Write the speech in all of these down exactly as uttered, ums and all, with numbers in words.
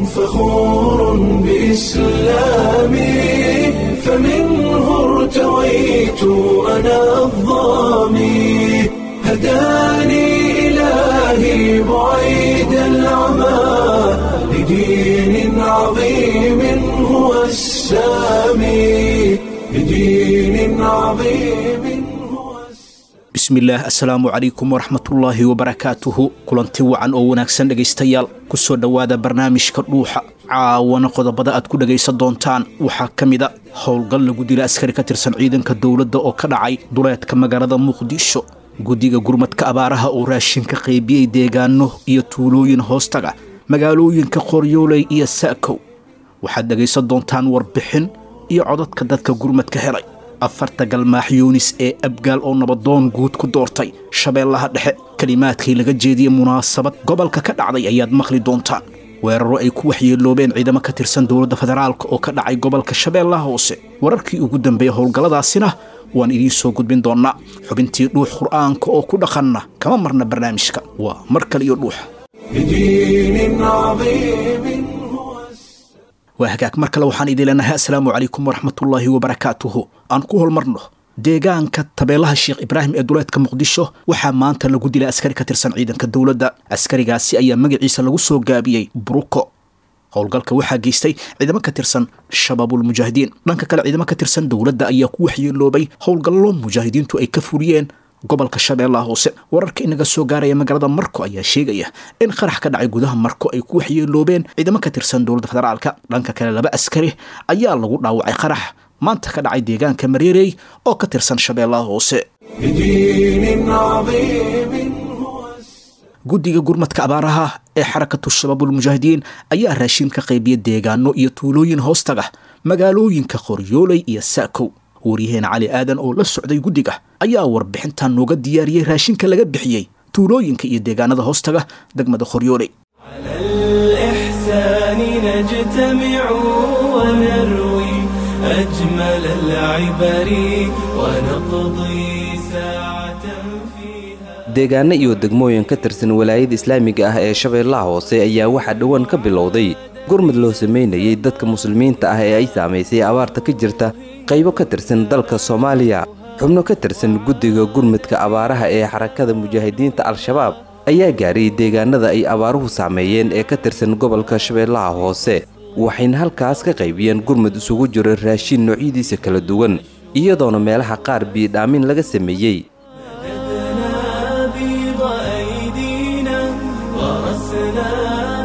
فخور بإسلامي، فمنه ارتويت أنا الظامي، هداني إلهي بعيد العمى لدين عظيم هو السامي، لدين عظيم هو السامي. Bismillaah, assalaamu calaykum waraxmatullaahi wabarakaatuhu. Kulanti wacan oo wanaagsan dhegaystayaal, kusoo dhowaada barnaamijka Dhuuxa. Caawana qodobada aad ku dhegaysan doontaan waxaa ka mid a howlgal lagu dila askari ka tirsan ciidanka dowladda oo ka dhacay duleedka magaalada Muqdisho, guddiga gurmadka abaaraha oo raashinka qaybiyey deegaano iyo tuulooyin hoostaga magaalooyinka Qoryooley iyo Saakow. Waxaad dhegaysan doontaan warbixin iyo codadka dadka gurmadka helay. Afarta galmaax Yuunis ee Abgaal oo nabadoon guud ku doortay Shabeellaha Dhexe, kelimaadkii laga jeediyey munaasabad gobolka ka dhacday ayaad maqli doontaan. Weeraro ay ku waxyeeloobeen ciidamo ka tirsan dowladda federaalka oo ka dhacay gobolka Shabeellaha Hoose, wararkii ugu dambeeya howlgalladaasina waan idiin soo gudbin doonnaa. Xubintii Dhuux Qur'aanka oo ku dhaqanna kama marna barnaamijka. Waa mar kale iyo Dhuuxa. لدين عظيم هو السامي. Waa hagaag, mar kale waxaan idin leenahay assalaamu calaykum waraxmatullaahi wabarakaatuhu. Aan ku holmarno deegaanka Tabeelaha Sheekh Ibraahim ee duleedka Muqdisho. Waxaa maanta lagu dilay askari ka tirsan ciidanka dowladda. Askarigaasi ayaa magaciisa lagu soo gaabiyey Bruko. Howlgalka waxaa geystay ciidamo ka tirsan Shabaabulmujaahidiin. Dhanka kale, ciidamo ka tirsan dowladda ayaa ku waxyeeloobay howlgallo mujaahidiintu ay ka fuliyeen gobolka Shabeellaha Hoose. Wararka inaga soo gaaraya magaalada Marko ayaa sheegaya in qarax ka dhacay gudaha Marko ay ku waxyeeloobeen ciidamo ka tirsan dowladda federaalka. Dhanka kale, laba askari ayaa lagu dhaawacay qarax maanta ka dhacay deegaanka Mareerey oo ka tirsan Shabeellaha Hoose. لدين عظيم هو السامي. Guddiga gurmadka abaaraha ee Xarakatu Shabaabulmujaahidiin ayaa raashin ka qaybiya deegaano iyo tuulooyin hoostaga magaalooyinka Qoryooley iyo Saakow. Waryaheena Cali Aadan oo la socday guddiga ayaa warbixintan nooga diyaariyey raashinka laga bixiyey tuulooyinka iyo deegaanada hoostaga degmada Qoryooley. على الإحسان نجتمع ونروي أجمل العبر ونقضي ساعة فيها. Deegaano iyo degmooyin ka tirsan Walaayada Islaamiga ah ee Shabeellaha Hoose ayaa waxaa dhowaan ka bilowday gurmad loo sameynayay dadka muslimiinta ah ee ay saamaysay abaarta ka jirta qaybo ka tirsan dalka Soomaaliya. Xubno ka tirsan guddiga gurmadka abaaraha ee Xarakada Mujaahidiinta Al-Shabaab ayaa gaaray deegaanada ay abaaruhu saameeyeen ee ka tirsan gobolka Shabeellaha Hoose, waxayna halkaas ka qaybiyeen gurmad isugu jira raashin noocyadiisa kala duwan, iyadoona meelaha qaar biyodhaamin laga sameeyey. مددنا بيض أيدينا غرسنا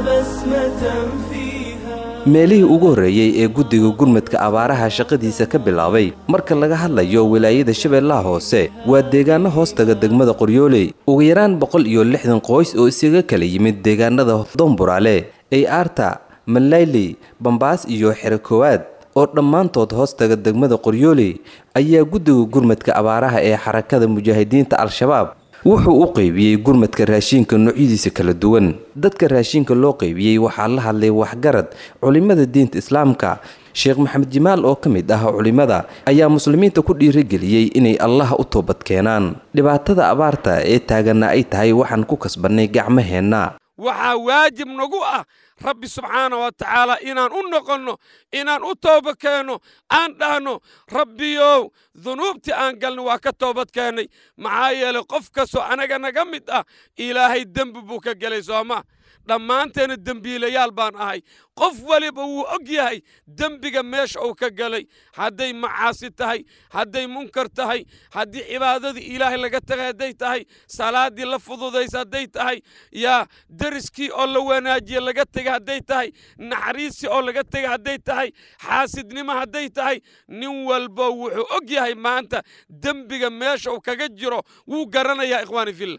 بسمة فيها. Meelihii ugu horreeyey ee guddiga gurmadka abaaraha shaqadiisa ka bilaabay marka laga hadlayo Wilaayada Shabeellaha Hoose waa deegaano hoostaga degmada Qoryooley. Ugu yaraan boqol iyo lixdan qoys oo isaga kala yimid deegaanada Domburaale, Ay Aarta, Malayley, Bambaas iyo Xero Koowaad oo dhammaantood hoostaga degmada Qoryooley ayaa guddiga gurmadka abaaraha ee Xarakada Mujaahidiinta Al-Shabaab wuxuu u qaybiyey gurmadka raashinka noocyadiisa kala duwan. Dadka raashinka loo qaybiyey waxaa la hadlay waxgarad, culimada diinta islaamka. Sheekh Maxamed Jimaal oo ka mid ah culimada ayaa muslimiinta ku dhiirigeliyey inay Allah u toobad keenaan, dhibaatada abaarta ee taaganna ay tahay waxaan ku kasbannay gacmaheenna. Waxaa waajib nagu ah Rabbi subxaana wa tacaala inaan u noqonno, inaan u tooba keenno, aan dhahno: Rabbiyow, dunuubtii aan galno waa ka toobad keennay. Maxaa yeelay, qof kastoo anaga naga mid ah Ilaahay dembi buu ka gelay, sooma? Dhammaanteena dembiilayaal baan ahay. Qof waliba wuu og yahay dembiga meesha uu ka galay, hadday macaasi tahay, hadday munkar tahay, haddii cibaadadii Ilaahay laga tagay hadday tahay, salaaddii la fududaysa hadday tahay, yaa deriskii oo la wanaajiye laga tegay hadday tahay, naxariisii oo laga tegay hadday tahay, xaasidnimo hadday tahay. Nin walbo wuxuu og yahay maanta dembiga meesha uu kaga jiro, wuu garanayaa. Ikhwaani fillah,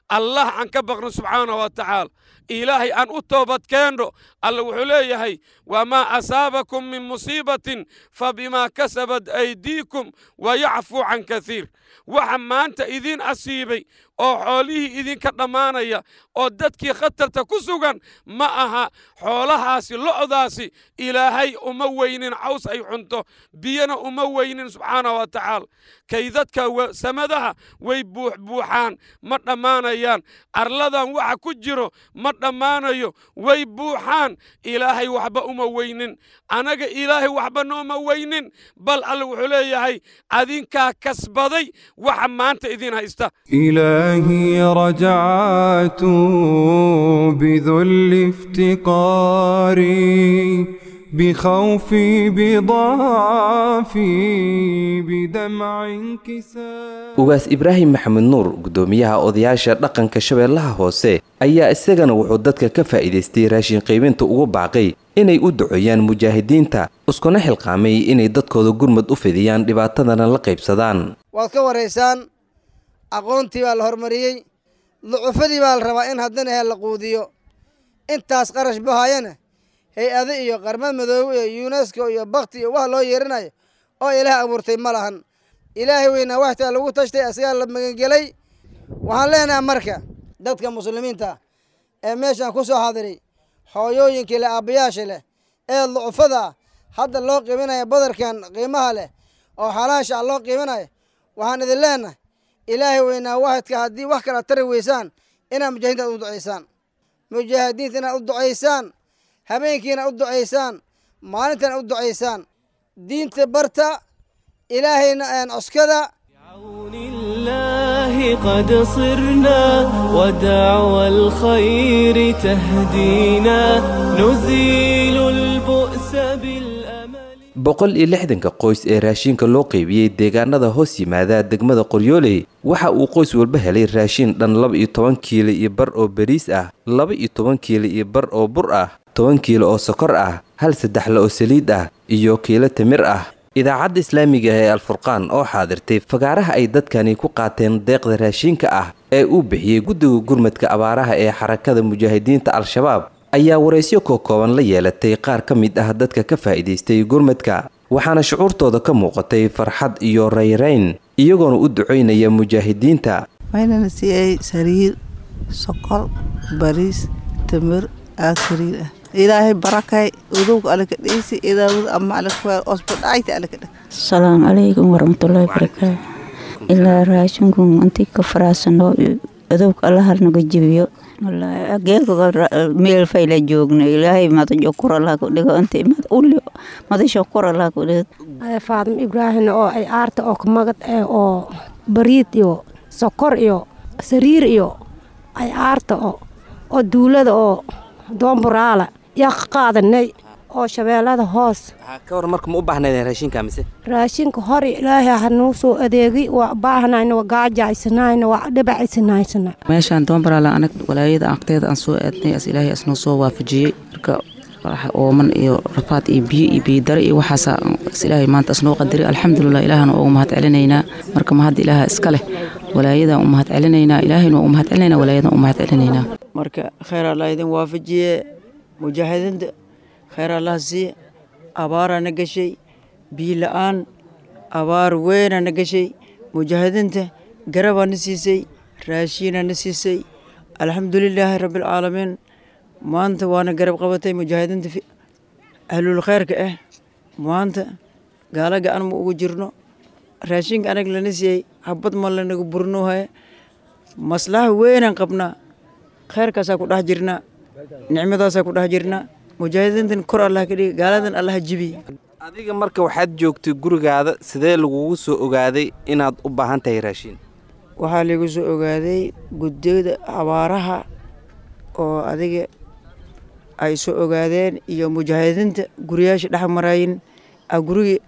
Allah aan ka baqno subxaanahu wa tacaala, Ilaahay aan u toobad keenno. Alla wuxuu leeyahay: wamaa asaabakum min musiibatin fabimaa kasabat aydiikum wayacfuu can kaiir. Waxa maanta idiin asiibay oo xoolihii idinka dhammaanaya oo dadkii khatarta ku sugan ma aha. Xoolahaasi lo'daasi Ilaahay uma weynin caws ay cunto, biyana uma weynin subxaana wa tacaala. Kaydadka samadaha way buuxbuuxaan, ma dhammaanayaan. Arladan waxa ku jiro ma dhammaanayo, way buuxaan. Ilaahay waxba uma weynin, anaga Ilaahay waxba nooma weynin. Bal Alle wuxuu leeyahay adinkaa kasbaday waxa maanta idin haysta. إلهي رجعت بذل افتقاري بخوفي بضعفي بدمع انكسار. Ugaas Ibraahim Maxamed Nuur, guddoomiyaha odayaasha dhaqanka Shabeellaha Hoose, ayaa isagana wuxuu dadka ka faa'iidaystay raashin qaybinta ugu baaqay inay u duceeyaan mujaahidiinta, iskuna xilqaamay inay dadkooda gurmad u fidiyaan, dhibaatadana la qaybsadaan. Waad ka waraysaan, aqoontii baa la horumariyey, ducufadii baa la rabaa in haddana he la quudiyo. Intaas qarash bahayana hay-ado iyo Qarmad Madoobe iyo UNESCO iyo bakti iyo wax loo yeeranayo oo Ilaah abuurtay ma lahan. Ilaahay weynaa waxtaa lagu tashtay, asigaa la magangelay. Waxaan leenahay marka dadka muslimiinta ah ee meeshaan ku soo xaadiray, hooyooyinkii leh, aabbayaasha leh ee ducufada ah hadda loo qiiminaya badarkan qiimaha leh oo xalaasha ah loo qiiminayo, waxaan idin leenahay Ilaahay weynaa waxidka haddii wax kala tari weysaan inaad mujaahidiinta u ducaysaan, mujaahidiinta inaad u ducaysaan, habeenkiina u ducaysaan, maalintana u ducaysaan. Diinta barta, Ilaahayna aan cuskada. بعون الله قد صرنا ودعوى الخير تهدينا نزيل البؤس بالأمل. Boqol iyo lixdanka qoys ee raashinka loo qaybiyey deegaanada hoos yimaada degmada Qoryooley, waxa uu qoys walba helay raashin dhan laba iyo toban kiilo iyo bar oo bariis ah, laba iyo toban kiilo iyo bar oo bur ah, toban kiilo oo sokor ah, hal saddexle oo saliid ah iyo kiilo timir ah. Idaacadda islaamiga ee Alfurqaan oo xaadirtay fagaaraha ay dadkani ku qaateen deeqda raashinka ah ee uu bixiyey guddiga gurmadka abaaraha ee Xarakada Mujaahidiinta Al-Shabaab ayaa waraysyo kookooban la yeelatay qaar ka mid ah dadka ka faa'iidaystay gurmadka, waxaana shucuurtooda ka muuqatay farxad iyo rayrayn, iyagoona u ducaynaya mujaahidiinta. Waxayna siiyey sariir, sokor, bariis, timir, aa sariir ah. Ilaahay barakay udowga alle ka dhiisi idaawad ama alle ku osbo dhacayta alle ka dhig. Asalaamu calaykum waraxmatullaahi wabarakaatu. Ilaa raashinkun intii ka faraasano adowga Allaha naga jibiyo. Wallaahi geelka meel fayla joogno, Ilaahay madajo kor Allah ku dhigo, intii mad uli madasho kor Allah ku dhigo. Faadmo Ibraahim oo ay aarta oo kamagad eh oo bariid iyo sokor iyo sariir iyo ay aarta oo oo duulada oo Doomburaala yaa ka qaadanay oo Shabeellada Hoos. Ka war marka, ma u baahnaydeen raashinka mise? Raashinka hore Ilaahay ha nuu soo adeegay, waa baahnayna, waa gaajaysanayna, waa dhibacaysanayna. Meeshaan Doombaraala anag walaayada agteeda aan soo aadnay, as Ilaahay asnoo soo waafajiyey. Marka waxa ooman iyo rafaad iyo biyo iyo biyo dare iyo waxaasa as Ilaahay maanta asnoo qadaray, alxamdulilah, Ilaahana ugu mahad celinaynaa. Marka mahad Ilaaha iska leh, walaayadaan u mahad celinaynaa, Ilaahayna u mahad celinaynaa, walaayadan u mahad celinaynaa. Marka khayr Allah idin waafajiye, mujaahidiinta khayr Allah siiye. Abaaraa na gashay, biyo la-aan, abaar weynaa na gashay. Mujaahidiinta garabaa na siisay, raashiinaa na siisay, alxamdulilaahi rabbilcaalamiin. Maanta waana garab qabatay mujaahidiinta ahlul khayrka ah. Maanta gaala gacan ma ugu jirno. Raashinka anag lana siiyey habad ma lanaga burinohaya. Maslaxa weynaan qabnaa, khayrkaasaa ku dhex jirnaa, nicmadaasaa ku dhex jirnaa. Mujaahidiintan kor Allah ka dhigi, gaaladan Allah jibi. Adiga marka waxaad joogtay gurigaada, sidee lagugu soo ogaaday inaad u baahan tahay raashin? Waxaa lagu soo ogaaday guddida abaaraha oo adiga ay soo ogaadeen iyo mujaahidiinta guriyaasha dhex marayin a guriga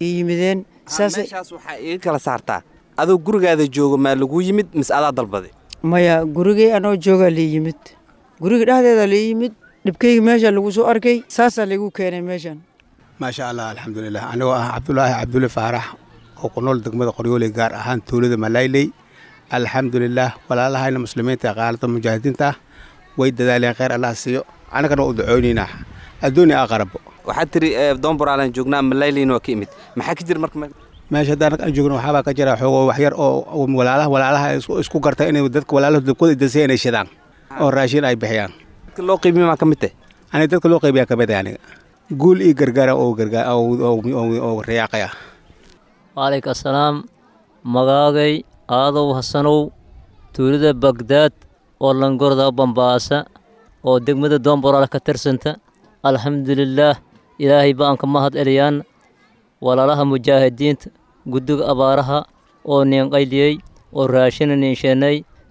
ii yimideen. Meeshaas waxaa iga kala saartaa, adoo gurigaada joogo maa lagu yimid mise adaa dalbaday? Maya, gurigay anoo joogaa lii yimid, guriga dhexdeeda lii yimid. Dhibkayga meesha lagu soo arkay, saasaa lagu keenay meeshan. Maasha Allah, alxamdulilah. Anigoo ah Cabdulaahi Cabdulle Faarax oo ku nool degmada Qoryooley, gaar ahaan tuulada Malayley, alxamdulilah, walaalahayna muslimiinta qaalada mujaahidiinta ah way dadaaleen, khayr Allah siiyo. Annagana waa u ducoonaynaa adduunya aqarabo. Waxaad tiri Doomboraalaan joognaa, Malayleyna waa ka imid, maxaa ka jira marka? Meesha haddaan aan joogno waxaabaa ka jira xoogo wax yar oo walaalaha walaalaha isku garta inay dadka walaalahooda dabkooda dasay inay shidaan oo raashin ay bixiyaan. Dadka loo qiibiyo maa ka mid tahay? Aniga dadka loo qaybiyaa ka mid ah aniga. Guul iyo gargaara oo gargaar oo riyaaqaya. Waalayka assalaam. Magaagay Aadow Hasanow, tuulada Bagdaad oo Langorda Bambaasa oo degmada Doomboraal ka tirsanta. Alxamdulilaah, Ilaahay baan ka mahad celiyaan walaalaha mujaahidiinta guddiga abaaraha oo niin qayliyey oo raashina niin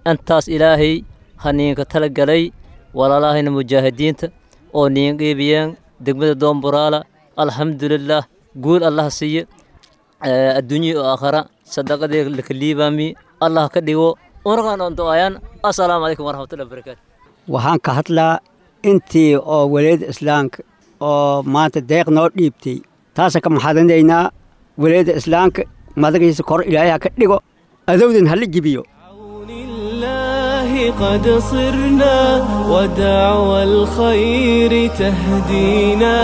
intaas Ilaahay ha niinka tala galay walaalahayna mujaahidiinta oo niin qiibiyeen degmada Doomboraala. Alxamdulilaah, guul Allah siiye adduunya iyo aakhara, sadaqadii laka liibaami Allah ka dhigo unagaan oon du'aayaan. Assalaamu calaykum waraxmatullahi wabarakaatu. Waxaan ka hadlaa intii oo walaayada islaamka oo maanta deeq noo dhiibtay, taasa ka maxadinaynaa walaayada islaamka madagiisa kor Ilaahay ha ka dhigo, adowdan hala jibiyo. قد صرنا ودعوى الخير تهدينا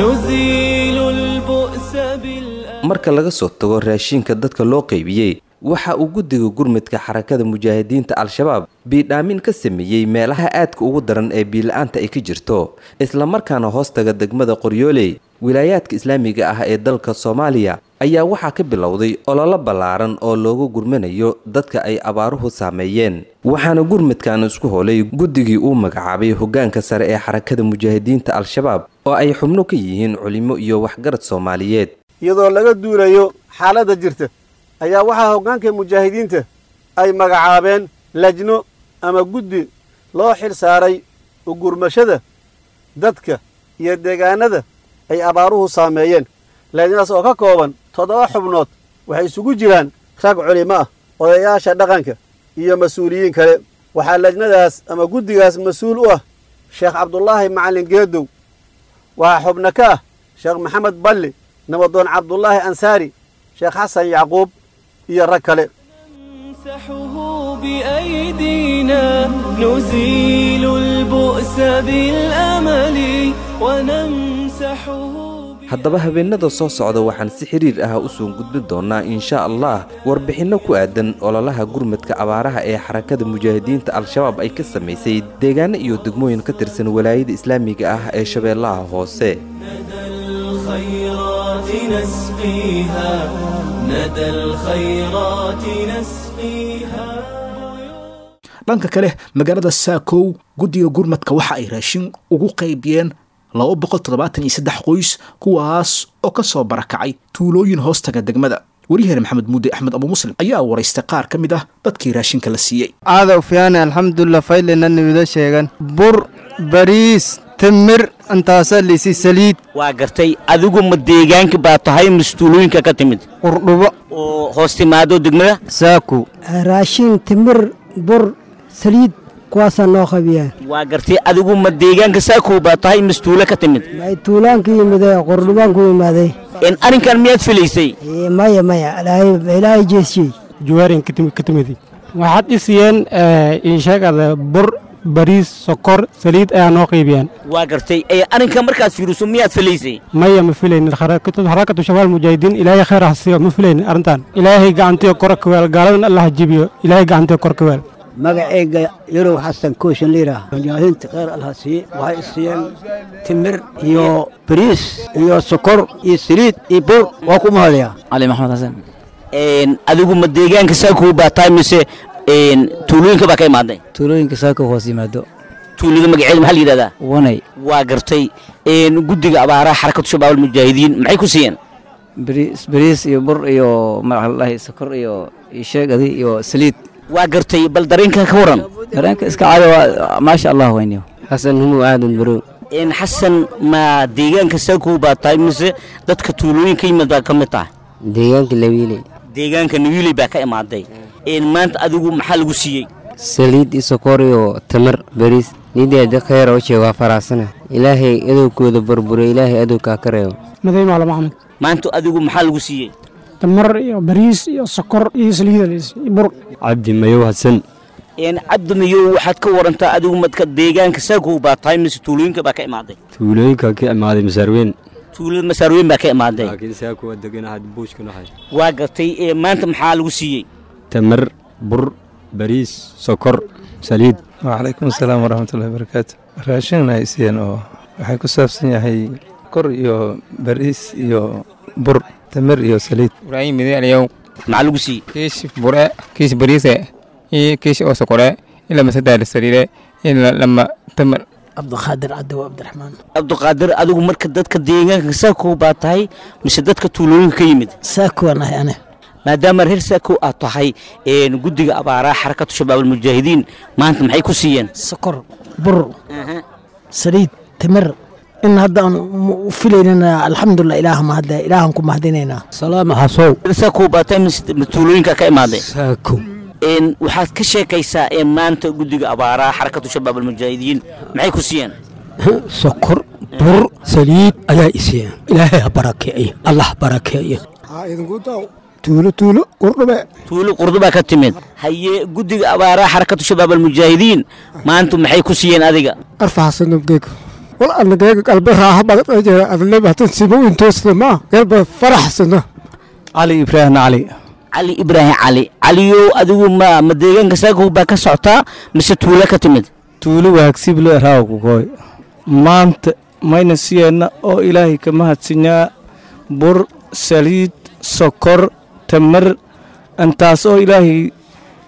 نزيل البؤس. Marka laga soo tago raashinka dadka loo qaybiyey, waxa uu guddiga gurmudka Xarakada Mujaahidiinta Al-Shabaab biidhaamin ka sameeyey meelaha aadka ugu daran ee biila-aanta ay ka jirto, islamarkaana hoostaga degmada Qoryooley. Wilaayaadka islaamiga ah ee dalka Soomaaliya ayaa waxaa ka bilowday ololo ballaaran oo loogu gurmanayo dadka ay abaaruhu saameeyeen, waxaana gurmudkan isku holay guddigii uu magacaabay hoggaanka sare ee Xarakada Mujaahidiinta Al-Shabaab oo ay xubno ka yihiin culimo iyo waxgarad Soomaaliyeed. Iyadoo laga duulayo xaaladda jirta ayaa waxaa hoggaanka mujaahidiinta ay magacaabeen lajno ama guddi loo xil saaray ugurmashada dadka iyo deegaanada ay abaaruhu saameeyeen. Lajnadaas oo ka kooban toddoba xubnood waxay isugu jiraan rag culimo ah, odayaasha dhaqanka iyo mas-uuliyiin kale. Waxaa lajnadaas ama guddigaas mas-uul u ah Sheekh Cabdulaahi Macallin Geedow. Waxaa xubno ka ah Sheekh Maxamed Balli, nabadoon Cabdulaahi Ansaari, Sheekh Xasan Yacquub iyo rag kale. بأيدينا نزيل البؤس بالأمل ونمسحه. Haddaba habeenada soo socda waxaan si xiriir ah u soo gudbin doonaa insha Allah warbixinno ku aadan ololaha gurmadka abaaraha ee Xarakada Mujaahidiinta Al-Shabaab ay ka samaysay deegaano iyo degmooyin ka tirsan walaayada islaamiga ah ee Shabeellaha Hoose. الخيرات نسقيها ندى الخيرات نسقيها. Dhanka kale, magaalada Saakow guddiga gurmadka waxa ay raashin ugu qaybiyeen laba boqol toddobaatan iyo saddex qoys, kuwaas oo ka soo barakacay tuulooyin hoostaga degmada. Waryaheena Maxamed Muudde Axmed Abu Muslim ayaa waraystay qaar ka mid ah dadkii raashinka la siiyey. Aadaw fiyaane, alxamdulilah, faylina niwida sheegan bur, bariis, timir, intaasa liisi, saliid. Waa gartay. Adigu ma deegaanka baa tahay mise tuulooyinka ka timid? Qurdhubo oo hoos timaado degmada Saako. Raashin, timir, bur, saliid, kuwaasaa noo qabiyaan. Waa gartay. Adigu ma deegaanka Saakow baa tahay mise tuulo ka timid? May, tuulaan ku yimiday, Qurdhubaan ku yimaaday. Arrinkan miyaad filaysay? Maya maya, Ilaahay jeesiyey. Juwaarin ka timid. Waxaad isiyeen insheegada bur, bariis, sokor, saliid ayaa noo qaybiyaan. Waa gartay. Arrinkan markaad fiiriso miyaad filaysay? Maya, ma filaynin. Xarakatu Shabaal Mujaahidiin Ilaahay khayr ha siiyo, ma filaynin arrintan. Ilaahay gacantiyo kor ka weel, gaaladan Allah jibiyo, Ilaahay gacantiyo kor ka weel. Magacayga Yarow Xasan Kooshin liira. Mujaahidiinta khayr Allah siiye, waxay siiyeen timir iyo bariis iyo sokor iyo saliid iyo bur, waa ku mahadaya. Cali Maxamed Xasan. Adigu ma deegaanka Saakow baa tahay mise tuulooyinka baa ka imaaday? Tuulooyinka Saakow hoos yimaado. Tuulada magaceeda maxaa la yidhahdaa? Wanay. Waa gartay. Guddiga abaaraha Xarakatu Shabaab Almujaahidiin maxay ku siiyeen? Bariis, bariis iyo bur iyo magaca sokor iyo iyo sheegadi iyo saliid. Waa gartay. Bal dareenka ka waran? Dareenka iska caadi waa, maasha Allah weyniyo. Xasan Humu Aadan Barow. Xasan, ma deegaanka Saakow baa tahay mise dadka tuulooyinka yimid baa ka mid tahay? Deegaanka Lawiile. Deegaanka Nawiile baa ka imaaday. Maanta adigu maxaa lagu siiyey? Saliid iyo sokor iyo tamar, bariis. Nideeda khayr oo sheego faraasana, Ilaahay adowkooda burburo, Ilaahay adowkaa ka reebo. Maday Maalo Maxamed. Maanta adigu maxaa lagu siiyey? Tamar iyo bariis iyo sokor iyo saliid iyo bur. Cabdi Mayow Xasan. Cabdi Mayow, waxaad ka warantaa adigu madka deegaanka Saakow baa tahay mise tuulooyinka baa ka imaaday? Tuulooyinka ka imaaday, Masaarweyn. Tuulada Masaarweyn baa ka imaaday. Laakiin Saakow waa deganahay, buushka nahay. Waa gartay. Ee maanta maxaa lagu siiyey? Tamar, bur, bariis, sokor, saliid. Wacalaykum asalaam waraxmatullahi wabarakaatu. Raashin ay siiyeen oo waxay ku saabsan yahay kor iyo bariis iyo bur, tamar iyo saliid. Ibraahim Mide Aliyow. Maxaa lagu siiyey? Kiish bure, kiish bariise iyo kiish oo sokore, ila masadaa saliide, ila lama tamar. Cabdiqaadir Cabdi Cabdiraxmaan. Cabdiqaadir, adigu marka dadka deegaanka Saakow baa tahay mise dadka tuulooyinka ka yimid? Saakow aan ahay ane. Maadaama reer Saakow aad tahay, een guddiga abaaraha Xarakatu Shabaab Almujaahidiin maanta maxay ku siiyeen? Sokor, bur, saliid, timir. In hadda aan u filaynana, alxamdulilah, ilaaha mahadle, ilaahan ku mahadinaynaa. Salaama Hasow. Saakow baa tahay mise tuulooyinka ka imaaday? Saakow. Een waxaad ka sheekaysaa ee maanta guddiga abaaraha Xarakatu Shabaab Almujaahidiin maxay ku siiyeen? Sokor, bur, saliid ayaa i siiyeen. Ilaahay ha barakeeyo, Allah barakeeyo. Tuulo tuulo Qurdhube. Tuulo Qurdubaa ka timid. Haye, guddiga abaaraha Xarakatu Shabaab Almujaahidiin maanta maxay ku siiyeen adiga? Arfaxsanubgeego wal anageega qalbe raaxa badan jira adleba hatan simo intoosna ma galba faraxsana. Cali Ibraahim Cali. Cali Ibraahim Cali. Caliyow, adigu ma ma deegaanka Saakow baa ka socotaa mise tuulo ka timid? Tuulo Waagsible raaw ku koy. Maanta mayna siiyeenna oo Ilaahay ka mahadsinyaa bur, saliid, sokor, tamar, intaas oo Ilaahay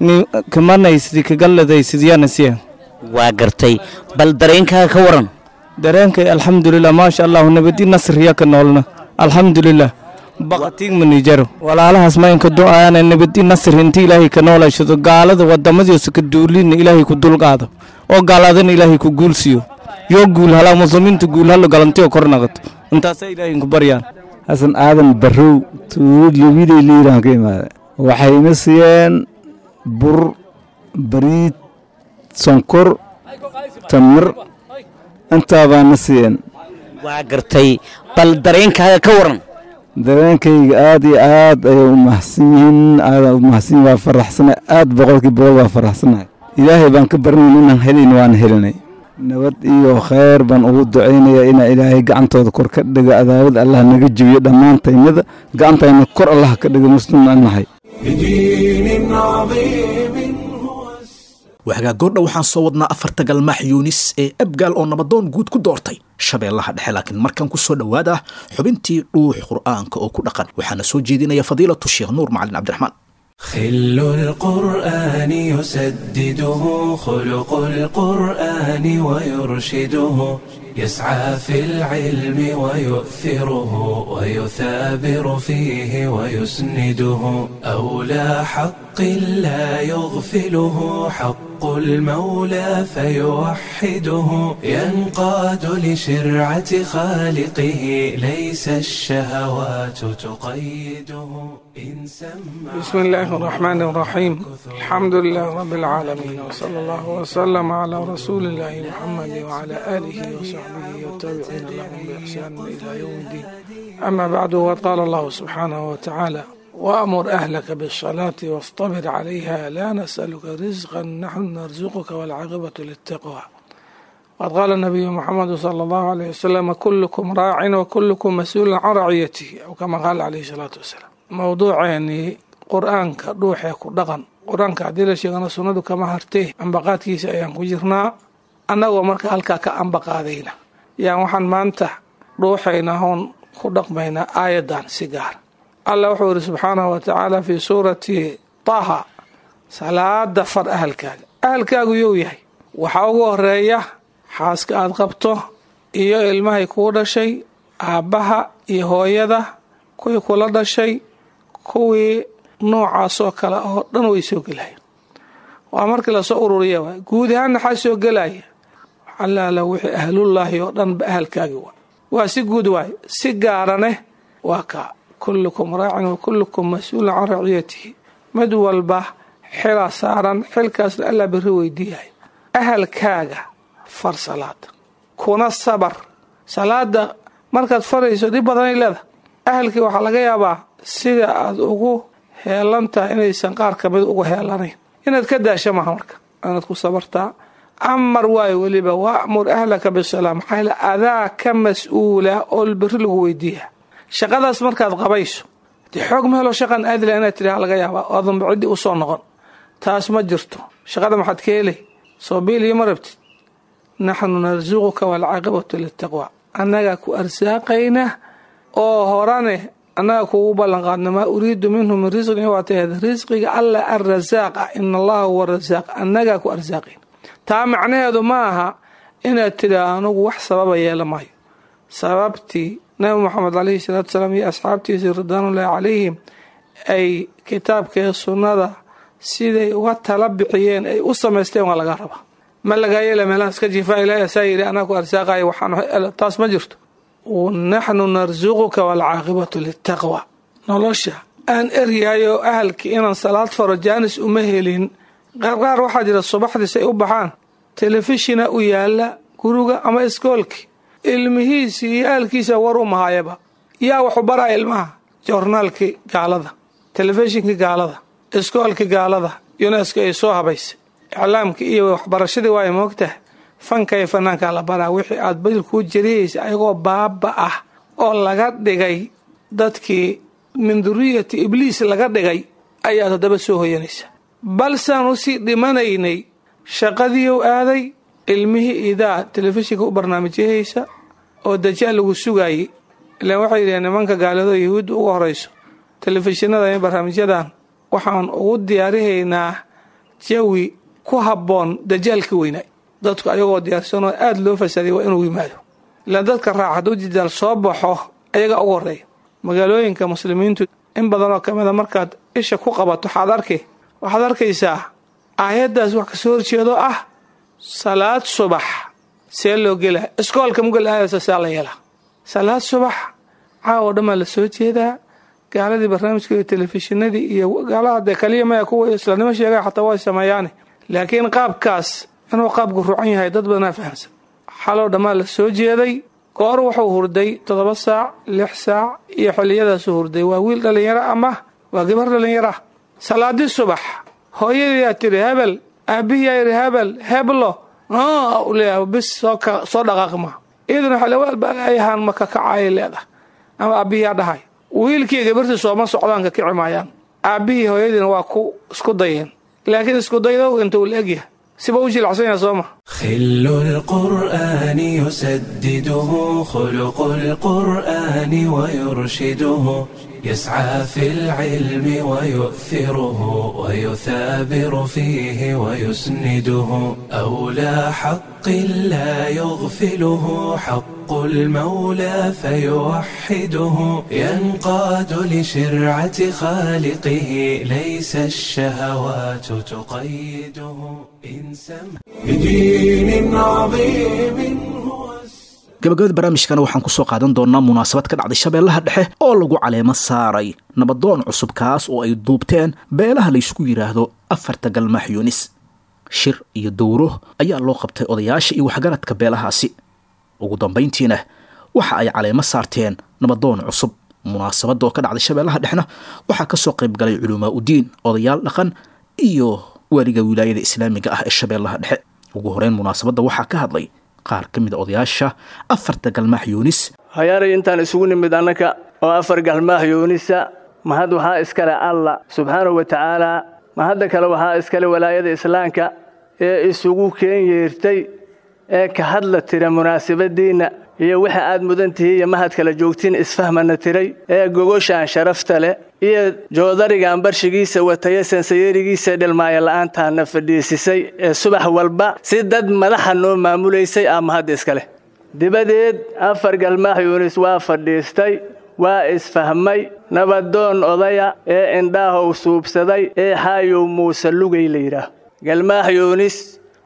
ni kamanaysid kagalladaysid yaana siiyeen. Waa gartay. Bal dareenkaaga ka waran? Dareenkay alxamdulilah, maasha allahu, nabadi nasriya ka noolna, alxamdulilah. Baqatiig manijaro walaalahaas maynka du'aana nabadi nasri inta Ilaahay ka noolashado, gaalada wadamadiisa ka duulina Ilaahay ku dulqaado oo gaaladana Ilaahay ku guulsiiyo, yoo guul halaa muslimiinta guul halo, galantiyo kor naqato, intaasa Ilaahay ku baryaan. Xasan Aadan Barrow, tuulad Lubidey Liiraan ka imaada. Waxay ina siiyeen bur, bariid, sonkor, tamar, intaa baana siiyeen. Waa gartay. Bal dareenkaaga ka waran? Dareenkayga aad iyo aad ayay u mahadsan yihiin, aadaan u mahadsan yihiin. Waa faraxsanahay aad, boqolkii boqol waa faraxsanahay. Ilaahay baan ka baranayna inaan helayn, waan helinay. Nabad iyo khayr baan ugu ducaynayaa inaa Ilaahay gacantooda kor ka dhigo, adaawad Allah naga jebiyo dhammaantaynada, gacantayna kor Allah ka dhigo, muslimna nahay. بدين عظيم. Waxgaa goordha waxaan soo wadnaa afarta galmaax Yuunis ee Abgaal oo nabadoon guud ku doortay Shabeellaha Dhexe, laakiin markan ku soo dhowaada xubintii Dhuux Qur'aanka oo ku dhaqan. Waxaana soo jeedinaya Fadiilatu Sheekh Nuur Macalin Cabdiraxmaan. خل القرآن يسدده خلق القرآن ويرشده، يسعى في العلم ويؤثره ويثابر فيه ويسنده، أولى حق لا يغفله حق المولى فيوحده، ينقاد لشرعة خالقه، ليس الشهوات تقيده إن سمع. بسم الله الرحمن الرحيم، الحمد لله رب العالمين، وصلى الله وسلم على رسول الله محمد وعلى آله وصحبه والتابعين لهم بإحسان إلى يوم الدين. أما بعد، وقد قال الله سبحانه وتعالى: وأمر أهلك بالصلاة واصطبر عليها، لا نسألك رزقا، نحن نرزقك، والعاقبة للتقوى. وقد قال النبي محمد صلى الله عليه وسلم: كلكم راع وكلكم مسؤول عن رعيته، أو كما قال عليه الصلاة والسلام. Mowduuceeni Qur-aanka dhuuxee ku dhaqan. Qur-aanka haddii la sheegana sunnadu kama hartee, ambaqaadkiisa ayaan ku jirnaa. Annagoo marka halkaa ka ambaqaadayna yaan waxaan maanta dhuuxaynaa hoon ku dhaqmaynaa aayadan si gaar. Allah wuxuu yidhi subxaanahu wa tacaala fii suurati Taha: salaada far ahalkaaga. Ahalkaagu you yahay? Waxaa ugu horeeya xaaska aad qabto iyo ilmahay kuu dhashay, aabbaha iyo hooyada, kuwii kula dhashay, kuwii noocaasoo kale oo dhan way soo gelaya. Waa markii lasoo ururiya waay. Guud ahaan maxaa soo gelaya? Allaala wixii ahlullaahi oo dhan ba ahalkaagi waay. Waa si guud waay. Si gaarane waa kaa: kullukum raacin wa kullukum mas-uulun can raciyatihi. Mid walba xilaa saaran, xilkaasna Allah berri weydiiyahay. Ahalkaaga far salaada, kuna sabar. Salaada markaad farayso dhib badanay leedahay. Ahalkii waxaa laga yaabaa sida aad ugu heelan tahay inaysan qaar kamid ugu heelanayn. Inaad ka daasha maaha, marka inaad ku sabartaa, Amar waayo weliba wa'mur ahlaka bisalaa, maxaa yeele adaa ka mas-uula oo berri lagu weydiiya shaqadaas markaad qabayso. Dee xoog ma helo shaqan aadila inaad tidhaha laga yaabaa oo aadanba ciddii u soo noqon, taas ma jirto. Shaqada maxaad ka helay? Soo biil iyo ma rabtid. Naxnu narsuquka waalcaaqibatu litaqwa, annagaa ku arsaaqayna oo horane annaga kugu ballan qaadna. Maa uriidu minhu min risqin, waa taheed risqiga alla arasaaqa, ina allaha huwa rasaaq, annagaa ku arsaaqayna. Taa macnaheedu ma aha inaad tidhaa anugu wax sababa yeela maayo. Sababtii nabi Moxamed caleyhi salaatu salaam iyo asxaabtiisii ridwaanullaahi calayhim ay kitaabka iyo sunnada siday uga tala bixiyeen ay u samaysteen waa laga rabaa. Ma lagaa yeela meelaha iska jiifaa, ilaahay asaa yidhi anaa ku arsaaqaya, waxaan taas ma jirto. Naxnu narsuquka waalcaaqibatu litaqwa. Nolosha aan eryahayo ahalkii inaan salaad faro jaanis uma helin. Qaarqaar waxaa jira subaxdii say u baxaan telefishina u yaala guriga ama iskoolki, ilmihiisii iyo ahalkiisa war u mahayaba. Yaa waxu baraya ilmaha? Joornaalkii gaalada, telefishinkii gaalada, iskoolkii gaalada, UNESCO ay soo habaysay iclaamkii iyo waxbarashadii. Waay moogtahay fanka iyo fanaankaa la baraa. Wixii aad badil kuu jarihaysa ayagoo baaba ah oo laga dhigay dadkii min duriyati ibliis laga dhigay ayaad haddaba soo hoyanaysa. Balsaan usii dhimanaynay shaqadiiu aaday ilmihii idaa telefishinka u barnaamijyahaysa oo dajaal lagu sugaayey. Ilaan waxay yidhaheen nimanka gaalado yahuudda uga horayso, telefishinada iyo barnaamijyadan waxaan ugu diyaarihaynaa jawi ku habboon dajaalka weynaay. Dadku ayagoo diyaarsanoo aada loo fasaday waa inuu yimaado. Ilaan dadka raaca hadduu dajaal soo baxo ayagaa ugu horreeya. Magaalooyinka muslimiintu in badanoo ka mida markaad isha ku qabato waxaad arki waxaad arkaysaa aayaddaas wax kasoo horjeedo ah. Salaad subax see loo gelaa? Iskoolka mugal aadaysa saa la yeelaa. Salaad subax caawa dhammaa la soo jeedaa. Gaaladii barnaamijka iyo telefishinadii iyo gaalada dee kaliya maya, kuwa islaamnimo sheegaya xataa way sameeyaane, laakiin qaabkaas inuu qaabku rucan yahay dad badanaa fahamsan. Xaloo dhammaa la soo jeeday. Goor wuxuu hurday toddoba saac, lix saac iyo xilliyadaasuu hurday. Waa wiil dhallinyaro ama waa gabar dhallinyaro ah. Salaadii subax hooyadiiyaa tidhi hebel, aabihiyaa yidhi hebel heblo leeyahay, bis soo soo dhaqaaqi maa. Iyaduna xilawaalbalaayahan ma ka kacayay leedahay ama aabihiyaa dhahay. Wiilkii gabartii sooma socdaan, ka kici maayaan. Aabbihii hooyadiina waa ku isku dayeen, laakiin isku daydow inta uu la egyahay siba u jilacsan yahay sooma. خل القرآن يسدده خلق القرآن ويرشده، يسعى في العلم ويؤثره ويثابر فيه ويسنده، أولى حق لا يغفله حق المولى فيوحده، ينقاد لشرعة خالقه ليس الشهوات تقيده. إن سمع بدين عظيم. Gabagabada barnaamijkana waxaan kusoo qaadan doonaa munaasabad ka dhacday Shabeellaha Dhexe oo lagu caleemo saaray nabadoon cusub, kaas oo ay duubteen beelaha laysku yidhaahdo afarta Galmaax Yunis. Shir iyo dowro ayaa loo qabtay odayaasha iyo waxgaradka beelahaasi. Ugu dambayntiina waxa ay caleemo saarteen nabadoon cusub. Munaasabadda oo ka dhacday Shabeellaha Dhexna waxaa ka soo qayb galay culumaa udiin, odayaal dhaqan iyo waaliga wilaayada islaamiga ah ee Shabeellaha Dhexe. Ugu horeyn munaasabadda waxaa ka hadlay qaar ka mid a odayaasha afarta Galmaax Yuunis. Hayaaray, intaan isugu nimid annaka oo afar Galmaax Yuunisa, mahad waxaa iskale Alla subxaanahu wa tacaalaa. Mahadda kale waxaa iskale walaayada islaamka ee isugu keen yeertay ee ka hadla tira munaasabadiinna iyo waxa aad mudan tihiin iyo mahad kala joogtiin isfahmana tiray ee gogoshaan sharafta leh iyo joodarigan barshigiisa wataya sansayeerigiisa dhilmaaya la'aantaana fadhiisisay ee subax walba si dad madaxa noo maamulaysay aa mahad iskale. Dibadeed afar Galmaax Yuunis waa fadhiistay, waa isfahmay. Nabadoon odaya ee indhaahow suubsaday ee Xaayow Muuse Lugay la yidhaah, Galmaax Yuunis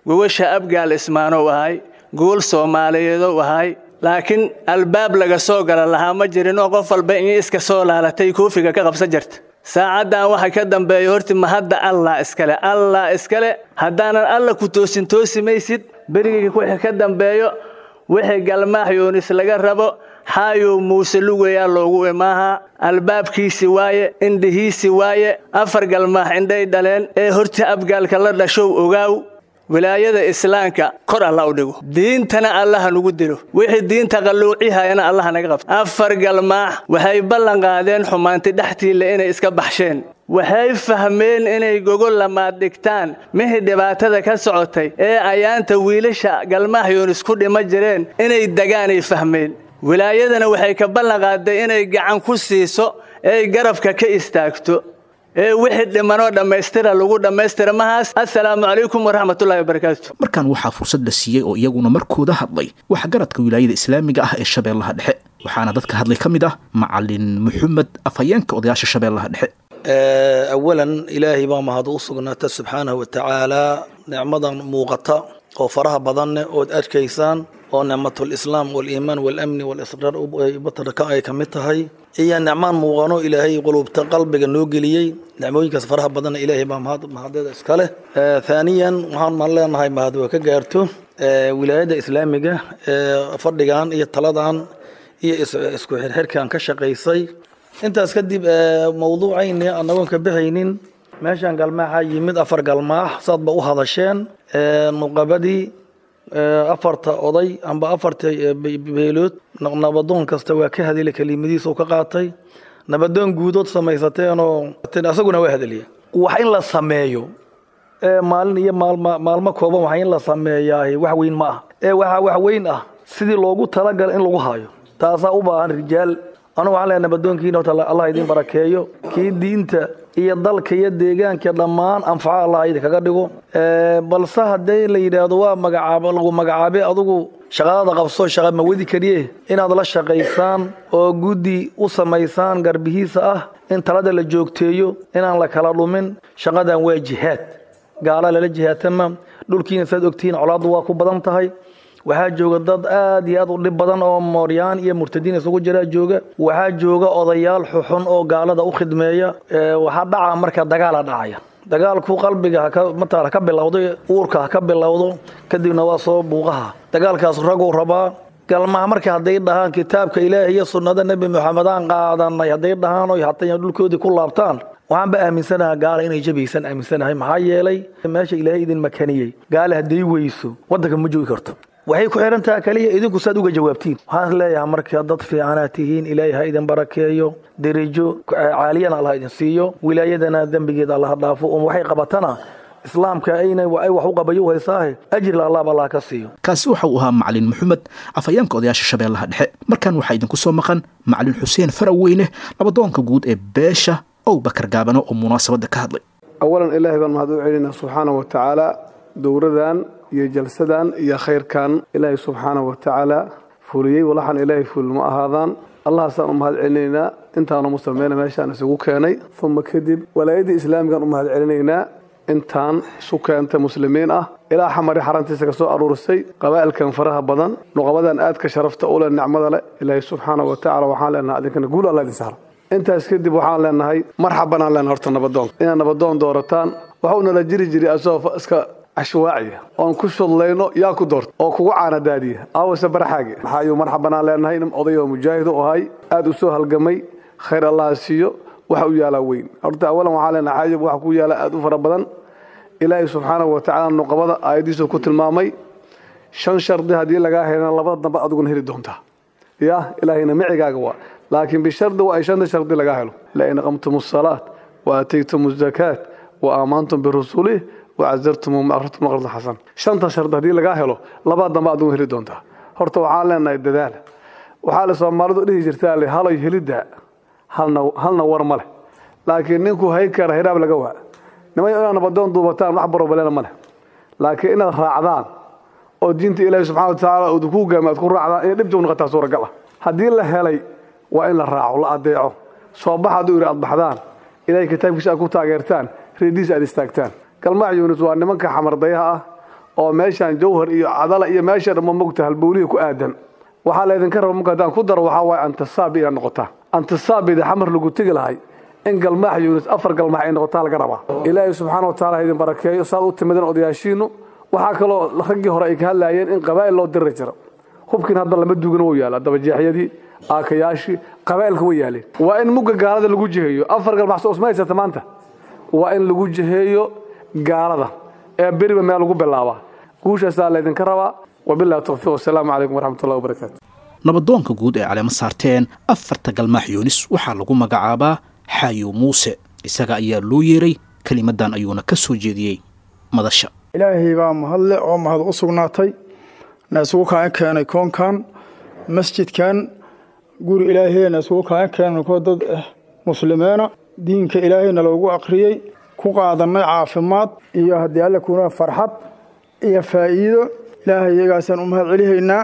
gogosha Abgaal Ismaanow ahay, gogol Soomaaliyeedow ahay, laakiin albaab laga soo gala lahaa ma jirin oo qof walba in iska soo laalatay koofiga ka qabsan jirta. Saacaddan waxa ka dambeeya horti mahadda Allah iskale, Allah iskale. Haddaanan Alla ku toosin toosi maysid. Berigii wixii ka dambeeyo wixii Galmaax Yuunis laga rabo Xaayow Muuse Lugayaa loogu imaahaa. Albaabkiisi waaye, indhihiisi waaye. Afar Galmaax indhay dhaleen ee horta Abgaalka la dhashow ogaaw. Wilaayada islaamka kor alla u dhigo, diintana allaha nagu dilo, wixii diinta qalluucihayana allaha naga qabto. Afar galmaax waxay ballan qaadeen xumaanti dhextiila inay iska baxsheen. Waxay fahmeen inay gogol lamaad dhigtaan mihii dhibaatada ka socotay ee ayaanta wiilasha Galmaax Yuunis ku dhima jireen inay degaanay fahmeen. Wilaayadana waxay ka ballan qaaday inay gacan ku siiso ee garabka ka istaagto ee wixii dhimanoo dhammaystira lagu dhammaystira mahaas. Assalaamu calaykum waraxmatullaahi wabarakaatu. Markan waxaa fursad la siiyey oo iyaguna markooda hadlay waxgaradka wilaayada islaamiga ah ee Shabeellaha Dhexe, waxaana dadka hadlay ka mid ah Macalin Maxamed, afhayeenka odayaasha Shabeellaha Dhexe. Awalan, Ilaahay baa mahad u sugnaata subxaanahu wa tacaala, nicmadan muuqata oo faraha badanne ood arkaysaan oo nicmatul islaam waliimaan walamni walisraar batarka ay ka mid tahay, iyo nicmaan muuqano Ilaahay qulubta qalbiga noo geliyey. Nicmooyinkaas faraha badanna Ilaahay baa mahad mahadeeda iska leh. Thaaniyan, waxaan maan leenahay mahad waa ka gaarto wilaayadda islaamiga ee fadhigan iyo taladan iyo isku xirxirkan ka shaqaysay. Intaas kadib, mawduucayni annagoon ka bixaynin, meeshaan galmaaxa yimid afar galmaax saad ba u hadasheen, nuqabadii afarta oday amba afarta beelood, nabadoon kasta waa ka hadilay, kelimadiisa uu ka qaatay. Nabadoon guudood samaysateenoo asaguna waa hadaliya. Wax in la sameeyo maalin iyo maalma maalmo kooban, wax in la sameeyaa wax weyn ma ah ee waxaa wax weyn ah sidii loogu talagalay in lagu hayo. Taasaa u baahan rijaal. Anugu waxaan leeyahay nabadoonkiina horta Allah idin barakeeyo, kii diinta iyo dalka iyo deegaanka dhammaan anfaca Allah idin kaga dhigo. Balse haddii la yidhaahdo waa magacaabo lagu magacaabay, adigu shaqadada qabso, shaqa ma wadi kariye, inaad la shaqaysaan oo guddi u samaysaan garbihiisa ah, in talada la joogteeyo, inaan la kala dhumin. Shaqadan waa jihaad, gaala lala jihaatama. Dhulkiina saad ogtihiin colaaddu waa ku badan tahay. Waxaa jooga dad aad iyo aad u dhib badan oo mooryaan iyo murtadiin isugu jiraa jooga. Waxaa jooga odayaal xuxun oo gaalada u khidmeeya. Waxaa dhaca marka dagaala dhacaya. Dagaalku qalbiga haka matala ka bilowdo, uurka ha ka bilowdo, kadibna waa soo buuqaha. Dagaalkaas raguu rabaa. Galmaha marka hadday dhahaan kitaabka Ilaahi iyo sunnada Nebi Maxamed aan qaadanay, hadday dhahaan oo hataa dhulkoodii ku laabtaan, waxaan ba aaminsanahay gaala inay jabaysan aaminsanahay. Maxaa yeelay meesha Ilaahay idin makaniyey gaala hadday weyso waddanka ma joogi karto. Waxay ku xiran tahay kaliya idinku saad uga jawaabtiin. Waxaan leeyahay marka dad fiicanaad tihiin, Ilaahay ha idin barakeeyo, derajo caaliyana Allah idin siiyo, wilaayadana dembigeeda Allah dhaafo, um waxay qabatana islaamka ayna ay wax u qabayo haysaahe ajri Allah ba Allah ka siiyo. Kaasi waxa uu ahaa Macalin Maxamed, afhayeenka odayaasha Shabeellaha Dhexe. Markan waxaa idinku soo maqan Macalin Xuseen Faraweyne, nabadoonka guud ee beesha Abubakar Gaabano oo munaasabadda ka hadlay. Awalan, Ilaahay baan mahad u celinaa subxaanahu wa tacaala. Dowradan iyo jalsadan iyo khayrkan Ilaahay subxaanahu wa tacaala fuliyey, walaxan Ilaahay ful ma ahaadaan. Allahaasaan u mahad celinaynaa intaanu muslimiina meeshaan isugu keenay. Uma kadib, walaayadii islaamigaan u mahad celinaynaa intaan isu keentay muslimiin ah, ilaa Xamari xarantiisa ka soo aruurisay qabaa'ilkan faraha badan, nuqabadan aadka sharafta u leh, nicmada leh. Ilaahay subxaanahu wa tacaala waxaan leenahay adinkana guul Allah idin sahlo. Intaas kadib, waxaan leenahay marxabanaan leenahay horta nabadoon inaad nabadoon doorataan. Waxuu nala jiri jiray asagoo iska cashwaaciya oon ku shudlayno, yaa ku doorta oo kugu caanadaadiya aawase baraxaagi maxaayuu. Marxabanaan leenahay nin oday oo mujaahid u ahay, aad u soo halgamay, khayr Allah siiyo. Waxa u yaalaa weyn horta. Awalan waxaan leenahay xaajib waxa ku yaala aad u fara badan. Ilaahay subxaanahu wa tacaala nuqabada aayadiisu ku tilmaamay shan shardi, haddii lagaa helana labada dambe adiguna heli doontaa ya Ilaahayna micigaaga waa, laakiin bishardi waa ay shanta shardi lagaa helo: lain aqamtum asalaat wa aataytum azakaat wa aamantum birusulih wa cazartum aqrartum qardan xasan. Shanta shardi haddii lagaa helo, labada dambe adiguna heli doontaa. Horta waxaan leenahay dadaal. Waxaa la Soomaalidu dhihi jirtaa le haloy helidda halna halna war ma leh, laakiin ninku hay kara hiraab laga waa. Nimay inaad nabadoon duubataan wax barobaleena ma leh, laakiin inaad raacdaan oo diinta Ilaahi subxaana wa tacaala uu ku hogaamiyo aad ku raacdaan inay dhibta u noqotaa suuragal ah. Haddii la helay waa in la raaco, la adeeco. Soo bax hadduu yidhi aad baxdaan, Ilaahay kitaabkiisa aad ku taageertaan, reediisa aad istaagtaan. Galmaax Yuunus waa nimanka xamardayaha ah oo meeshaan Jawhar iyo Cadala iyo meesha dhamma mogta halbowlihii ku aadan. Waxaa laydinka raba marka haddaan ku daro waxaa waaye antasaabi inaad noqotaan, antasaabida Xamar lagu tegi lahay in Galmaax Yuunus afar galmaax ay noqotaa laga rabaa. Ilaahay subxaana wa tacaala ha idin barakeeyo saad u timideen odayaashiinu. Waxaa kaloo raggii hore ay ka hadlaayeen in qabaa'il loo diri jiro. Hubkiin hadda lama duugin, wuu yaala, dabajeexyadii, aakayaashii qabaa'ilka way yaaleen. Waa in mugga gaalada lagu jiheeyo. Afar galmaax soo usma haysata maanta, waa in lagu jiheeyo gaalada. ee beriba meel lagu bilaabaa. Guushaasaa laydinka rabaa. Wabillahi tawfiiq, wasalaamu calaykum waraxmatullahi wabarakaatu. Nabadoonka guud ee caleemo saarteen afarta Galmaax Yuunis waxaa lagu magacaabaa Xaayo Muuse. Isaga ayaa loo yeeray, kelimadan ayuuna ka soo jeediyey madasha. Ilaahay baa mahadle oo mahad u sugnaatay na isugu kaan keenay koonkan masjidkan, guri ilaahayna isugu kaan keenay koo dad ah muslimiina, diinka ilaahayna loogu akhriyey, ku qaadanay caafimaad iyo haddii Alle kuna farxad iyo faa'iido. Ilaahay iyagaasaan u mahad celihaynaa.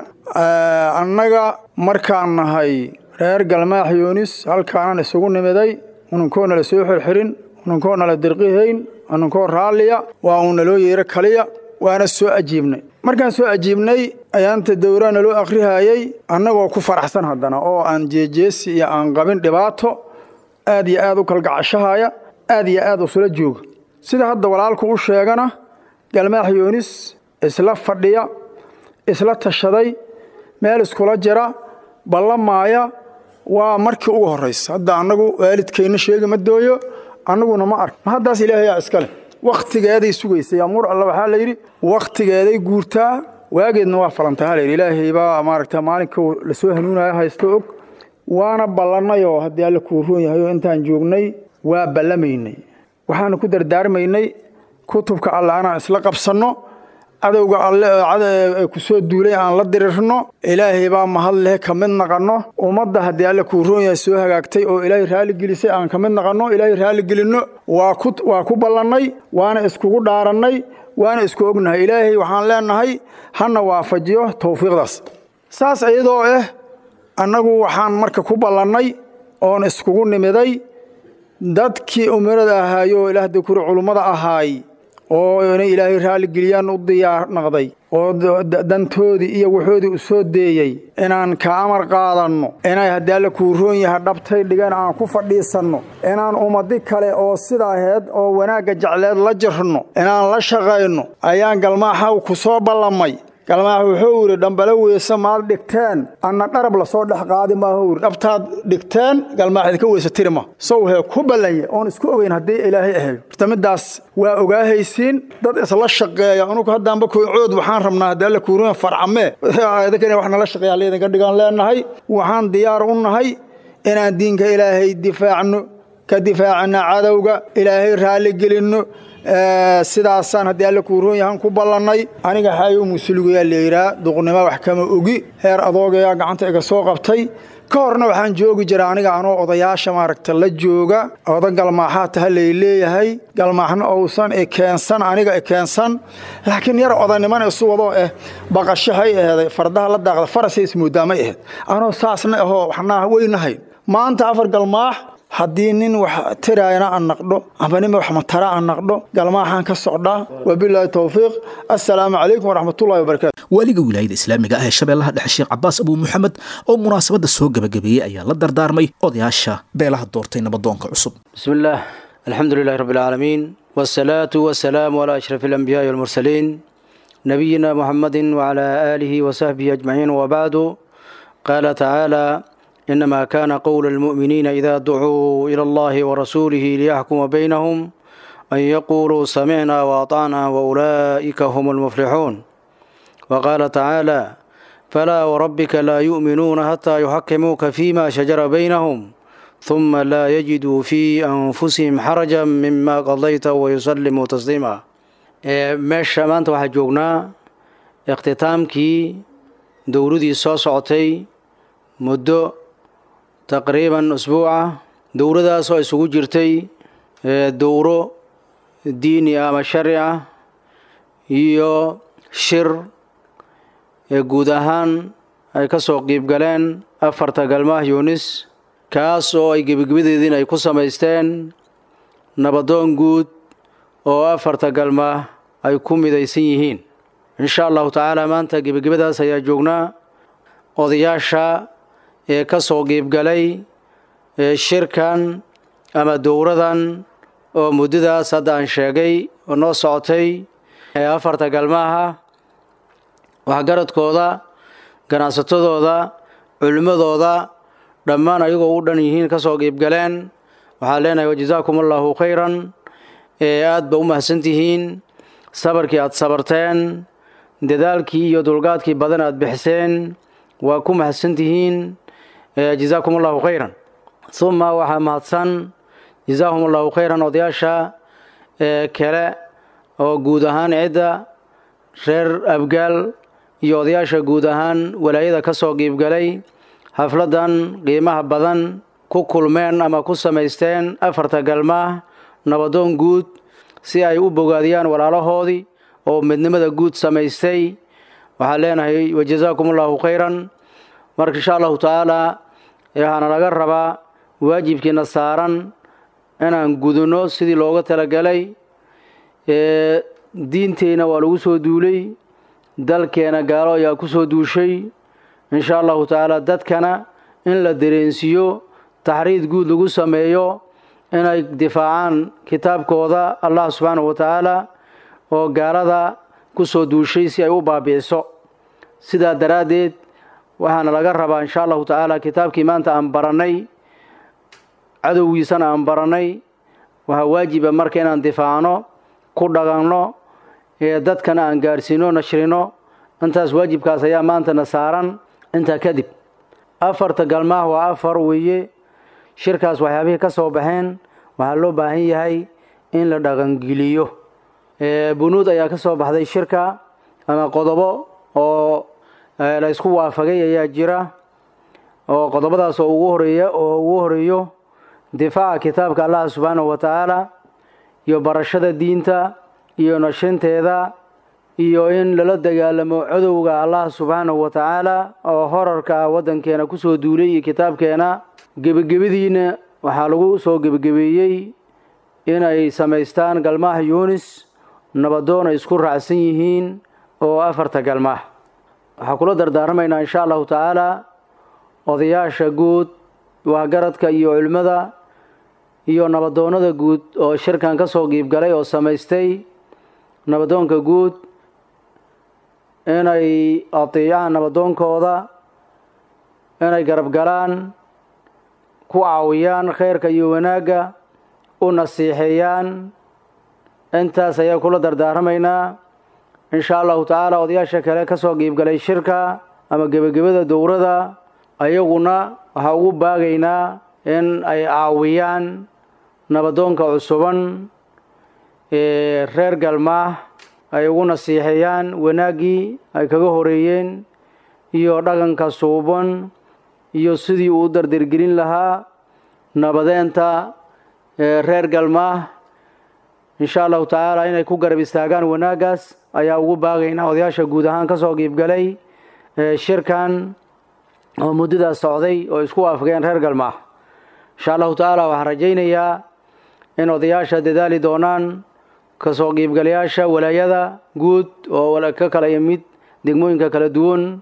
Annaga markaan nahay reer Galmaax Yuunis, halkaanaan isugu nimiday, ununkoona la soo xirxirin, ununkoona la dirqihayn, ununkoo raalliya waa uun naloo yeero kaliya, waana soo ajiibnay. Markaan soo ajiibnay ayaanta dowraa naloo akhrihayey, annagoo ku faraxsan haddana oo aan jeejeesi iyo aan qabin dhibaato, aad iyo aad u kalgacashahaya, aad iyo aad usula jooga. Sida hadda walaalku u sheegana, Galmaax Yuunis isla fadhiya, isla tashaday, meel iskula jira, ballamaaya, waa markii ugu horraysa. Hadda annagu waalidkayna sheegi ma dooyo, annaguna ma ark. Ma haddaas ilaahayaa iskale wakhtigeeday sugaysay amuur Alla. Waxaa la yidhi wakhtigeeday guurtaa, waageedna waa falantaa la yidhi. Ilaahay baa maaragta maalinka lasoo hanuunaya haysto og. Waana ballannayoo haddii Alle kuu roon yahay oo intaan joognay waa ballamaynay, waxaanu ku dardaarmaynay kutubka Alle anaan isla qabsanno, cadowga Alle ku soo duulay aan la dirirno. Ilaahay baa mahad leh, ka mid naqanno ummadda haddii Alle kuu roon yahay soo hagaagtay oo Ilaahay raali gelisay, aan ka mid naqanno, Ilaahay raali gelinno. Waa ku waa ku ballannay, waana iskugu dhaarannay, waana isku ognahay. Ilaahay waxaan leenahay hana waafajiyo tawfiiqdaas. Saas iyadoo ah, annagu waxaan marka ku ballannay oon iskugu nimiday dadkii umarada ahaayo, ilaah dukuri culummada ahaay oo inay Ilaahay raali geliyaan u diyaar naqday oo dantoodii iyo waxoodii u soo deeyey, inaan ka amar qaadanno, inay haddii Alle kuu roon yahay dhabtay dhigan aan ku fadhiisanno, inaan ummadi kale oo sidaa aheyd oo wanaagga jecleed la jirno, inaan la shaqayno ayaan Galmaaxa ku soo ballamay. Galmaax wuxuu yidhi, dhambalo weyse maad dhigteen, anna dharab lasoo dhex qaadi maahu yidhi. Dhabtaad dhigteen Galmaax idinka weyse tiri ma sow hee ku ballanye oon isku ogeyn haddii Ilaahay ahayo. Horta middaas waa ogaahaysiin dad isla shaqeeya. Anugu haddaanba cood waxaan rabnaa haddii Alle kuuruun farcamee idinka wax nala shaqeeya laydinka dhigaan leenahay. Waxaan diyaar u nahay inaan diinka Ilaahay difaacno, ka difaacna cadowga, Ilaahay raali gelinno. Sidaasaan haddii Alle kuu roon yahan ku ballannay. Aniga Xaayo Musulugayaa layidhaa, duqnimo wax kama ogi, heer adoogayaa gacanta iga soo qabtay. Ka horna waxaan joogi jira aniga anoo odayaasha maaragta la jooga, oda Galmaaxaa taha lay leeyahay, Galmaaxna ousan ikeensan aniga ikeensan, laakiin yar odanimana isu wadoo eh baqashahay aheeday, fardaha la daaqda farasay ismoodaamay aheyd, anoo saasna ahoo waxnaa weynahay. Maanta afar Galmaax haddii nin wax tiraayana aan naqdho amba nin wax matara aan naqdho, Galmaaxaan ka socdaa. Wabilaahi towfiiq, assalaamu calaykum waraxmatullahi wabarakaatu. Waaliga wilaayada islaamiga ah ee Shabeellaha Dhexe, Sheekh Cabaas Abuu Muxamed, oo munaasabadda soo gebagabeeyey ayaa la dardaarmay odayaasha beelaha doortay nabadoonka cusub. بسم الله، الحمد لله رب العالمين، والصلاة والسلام على أشرف الأنبياء والمرسلين، نبينا محمد وعلى آله وصحبه أجمعين، وبعد. قال تعالى: إنما كان قول المؤمنين إذا دعوا إلى الله ورسوله ليحكم بينهم أن يقولوا سمعنا وأطعنا وأولئك هم المفلحون. وقال تعالى: فلا وربك لا يؤمنون حتى يحكموك فيما شجر بينهم ثم لا يجدوا في أنفسهم حرجا مما قضيت ويسلموا تسليما. Meesha maanta waxaa joognaa ikhtitaamkii dowladii soo socotay muddo taqriiban usbuuca, dowladaas oo isugu jirtay dowro diini ah ama sharci ah iyo shir guud ahaan ay ka soo qiib galeen afarta Galmaah Yuunis, kaas oo ay gebigebadeediin ay ku samaysteen nabadoon guud oo afarta Galmaah ay ku midaysan yihiin. Insha Allahu tacaala maanta gebigebadaas ayaa joognaa. Odayaasha ee ka soo qiibgalay shirkan ama dowradan oo muddadaas hadda aan sheegay oo noo socotay ee afarta Galmaaha, waxgaradkooda, ganacsatadooda, culimmadooda, dhammaan ayagoo u dhan yihiin ka soo qiibgaleen, waxaan leenahay wajazaakum Allahu khayran, ee aad ba u mahadsantihiin. Sabarkii aad sabarteen, dadaalkii iyo dulqaadkii badan aad bixiseen, waa ku mahadsantihiin. Jazaakum allahu khayran. Uma waxaa mahadsan, jazaahum allahu khayran, odayaasha kale oo guud ahaan cidda reer Abgaal iyo odayaasha guud ahaan walaayada ka soo qiibgalay xafladan qiimaha badan ku kulmeen ama ku samaysteen afarta galmaah nabadoon guud si ay u bogaadiyaan walaalahoodii oo midnimada guud samaystay. Waxaan leenahay wajazaakum allahu khayran. Marka insha allahu tacaala waxaana laga rabaa waajibkiina saaran inaan gudano sidii looga talagalay. Diinteyna waa lagu soo duulay, dalkeena gaalo ayaa ku soo duushay. Insha allahu tacaala dadkana in la dareensiiyo, taxriid guud lagu sameeyo inay difaacaan kitaabkooda Allah subxaanahu wa tacaala oo gaalada ku soo duushay si ay u baabi'iso. Sidaa daraaddeed waxaana laga rabaa insha allahu tacaala kitaabkii maanta aan barannay, cadowgiisana aan barannay, waxaa waajiba marka inaan difaacno, ku dhaqanno, ee dadkana aan gaadhsiino, nashrino. Intaas waajibkaas ayaa maantana saaran. Intaa kadib afarta galmaah waa afar weeye. Shirkaas waxyaabihii ka soo baxeen waxaa loo baahan yahay in la dhaqangeliyo. Bunuud ayaa ka soo baxday shirka ama qodobo oo la isku waafagay ayaa jira, oo qodobadaas oo ugu horeeya oo ugu horeeyo difaaca kitaabka Allah subxaanahu wa tacaala iyo barashada diinta iyo nashinteeda iyo in lala dagaalamo codowga Allah subxaanahu wa tacaala oo horarka waddankeena kusoo duulay iyo kitaabkeena. Gebagebadiina waxaa lagu soo gebagebeeyey inay samaystaan galmaha Yunis nabadoon ay isku raacsan yihiin oo afarta galmaah. Waxaa kula dardaarmaynaa insha allahu tacaala odayaasha guud, waxgaradka iyo culimmada iyo nabadoonnada guud oo shirkan ka soo qiibgalay oo samaystay nabadoonka guud inay ateecaan nabadoonkooda, inay garab galaan, ku caawiyaan khayrka iyo wanaagga, u nasiixeeyaan. Intaas ayaa kula dardaarmaynaa insha allahu tacaala. Odayaasha kale ka soo qiibgalay shirka ama gebagabada dowrada ayaguna waxaa ugu baagaynaa in ay caawiyaan nabadoonka cusuban ee reer galmaah, ay ugu nasiixeeyaan wanaaggii ay kaga horeeyeen iyo dhaqanka suuban iyo sidii uu u dardargelin lahaa nabadeenta reer galmaah. Insha allahu tacaala inay ku garab istaagaan wanaaggaas ayaa ugu baagaynaa odayaasha guud ahaan ka soo qiibgalay shirkan oo muddadaas socday oo isku waafaqeen reer galmaah. Insha allahu tacaala waxaan rajaynayaa in odayaasha dadaali doonaan, kasoo qiibgalayaasha walaayada guud oo ka kala yimid degmooyinka kala duwan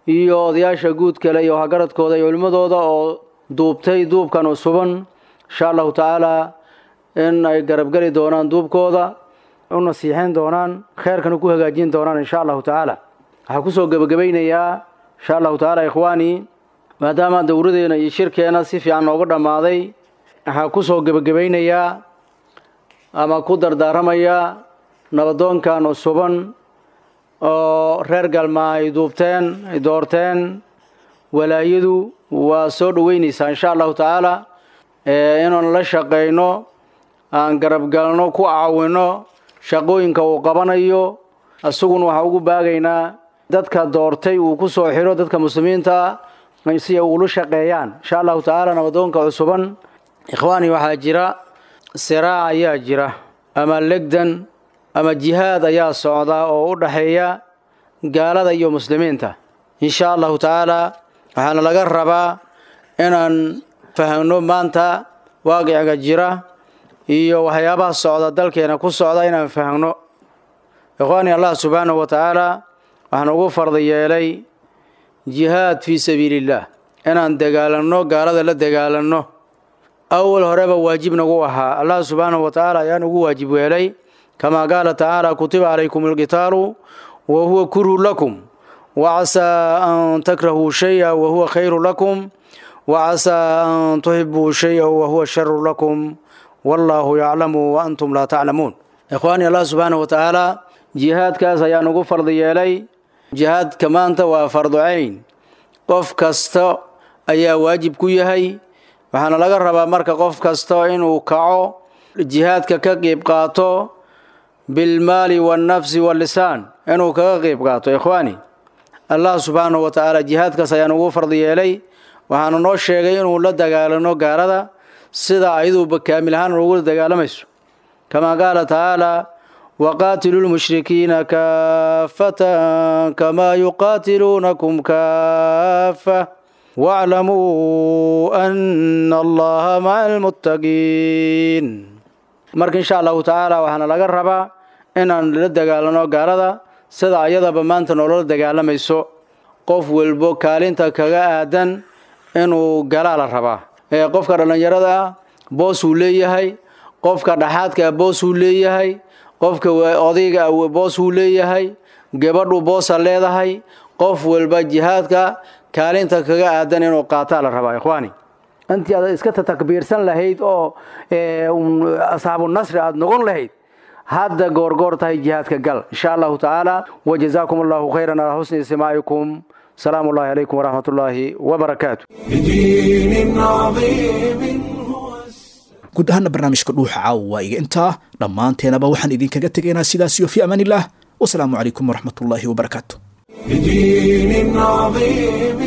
iyo odayaasha guud kale iyo waxgaradkooda iyo culimmadooda oo duubtay duubkan cusuban, insha allahu tacaala in ay garabgeli doonaan duubkooda, u nasiixeyn doonaan, kheyrkana ku hagaajin doonaan insha allahu tacaala. Waxaa kusoo gebagabaynayaa insha allahu tacaala ikhwaani, maadaama dowradeena iyo shirkeena si fiican nooga dhammaaday, waxaa kusoo gebagabaynayaa ama ku dardaaramayaa nabadoonkan cusuban oo reer galmaa ay duubteen, ay doorteen. Walaayadu waa soo dhoweynaysaa insha allahu tacaala inaan la shaqayno, aan garabgalno, ku caawino shaqooyinka uu qabanayo. Isaguna waxaa ugu baagaynaa dadka doortay uu ku soo xiro dadka muslimiinta si ay ugula shaqeeyaan insha allahu tacaala nabadoonka cusuban. Ikhwaani, waxaa jira siraac ayaa jira ama legdan ama jihaad ayaa socda oo u dhaxeeya gaalada iyo muslimiinta. Insha allahu tacaala waxaana laga rabaa inaan fahamno maanta waaqiciga jira iyo waxyaabaha socda dalkeena ku socda inaan fahamno. Ikhwaani, Allah subxaanahu wa tacaala waxaan ugu fardi yeelay jihaad fii sabiilillaah, inaan dagaalanno, gaalada la dagaalanno. Awal horeba waajib nagu ahaa, Allah subxaanahu wa tacaala ayaan ugu waajib yeelay, kamaa qaala tacaala kutiba calaykum alqitaalu wa huwa kurhu lakum wa casaa an takrahuu shaya wa huwa khayru lakum wa casaa an tuxibuu shaya wa huwa sharu lakum wallaahu yaclamu wa antum laa taclamuun. Ikhwaani, Allah subxaanahu wa tacaala jihaadkaas ayaa nugu fardi yeelay. Jihaadka maanta waa fardu cayn, qof kasta ayaa waajib ku yahay. Waxaana laga rabaa marka qof kasta inuu kaco, jihaadka ka qeyb qaato bilmaali waalnafsi wallisaan, inuu kaga qeyb qaato. Ikhwaani, Allah subxaanahu wa tacaala jihaadkaas ayaa nugu fardi yeelay. Waxaana noo sheegay inuu la dagaalano gaalada sida ayaduba kaamil ahaan ugu dagaalamayso, kamaa qaala tacaala: waqaatiluu lmushrikiina kaafatan kamaa yuqaatiluunakum kaafa waclamuu ana Allaha maca almuttaqiin. Marka insha Allahu tacaala waxaana laga rabaa inaan la dagaalano gaalada sida ayadaba maanta noola dagaalamayso. Qof walbo kaalinta kaga aadan inuu galaa la rabaa. Ee qofka dhallinyarada ah boosuu leeyahay, qofka dhaxaadka ah boosuu leeyahay, qofka odayga ah boosuu leeyahay, gabadhu boosa leedahay. Qof walba jihaadka kaalinta kaga aadan inuu qaataa la rabaa, ikhwaani. Intii aad iska takbiirsan lahayd oo asxaabu nasri aad noqon lahayd, hadda goorgoor tahay jihaadka gal, insha Allahu tacaala. Wajazaakum Allahu khayran calaa xusni istimaacikum. Salaamu ullahi calaykum waraxmat ullaahi wabarakaatu. بدين عظيم. Guud ahaana barnaamijka Dhuuxa caawa waa iga intaa. Dhammaanteenaba waxaan idinkaga tegaynaa sidaas iyo fi amaanillaah, wasalaamu calaykum waraxmatullaahi wabarakaatu. بدين عظيم.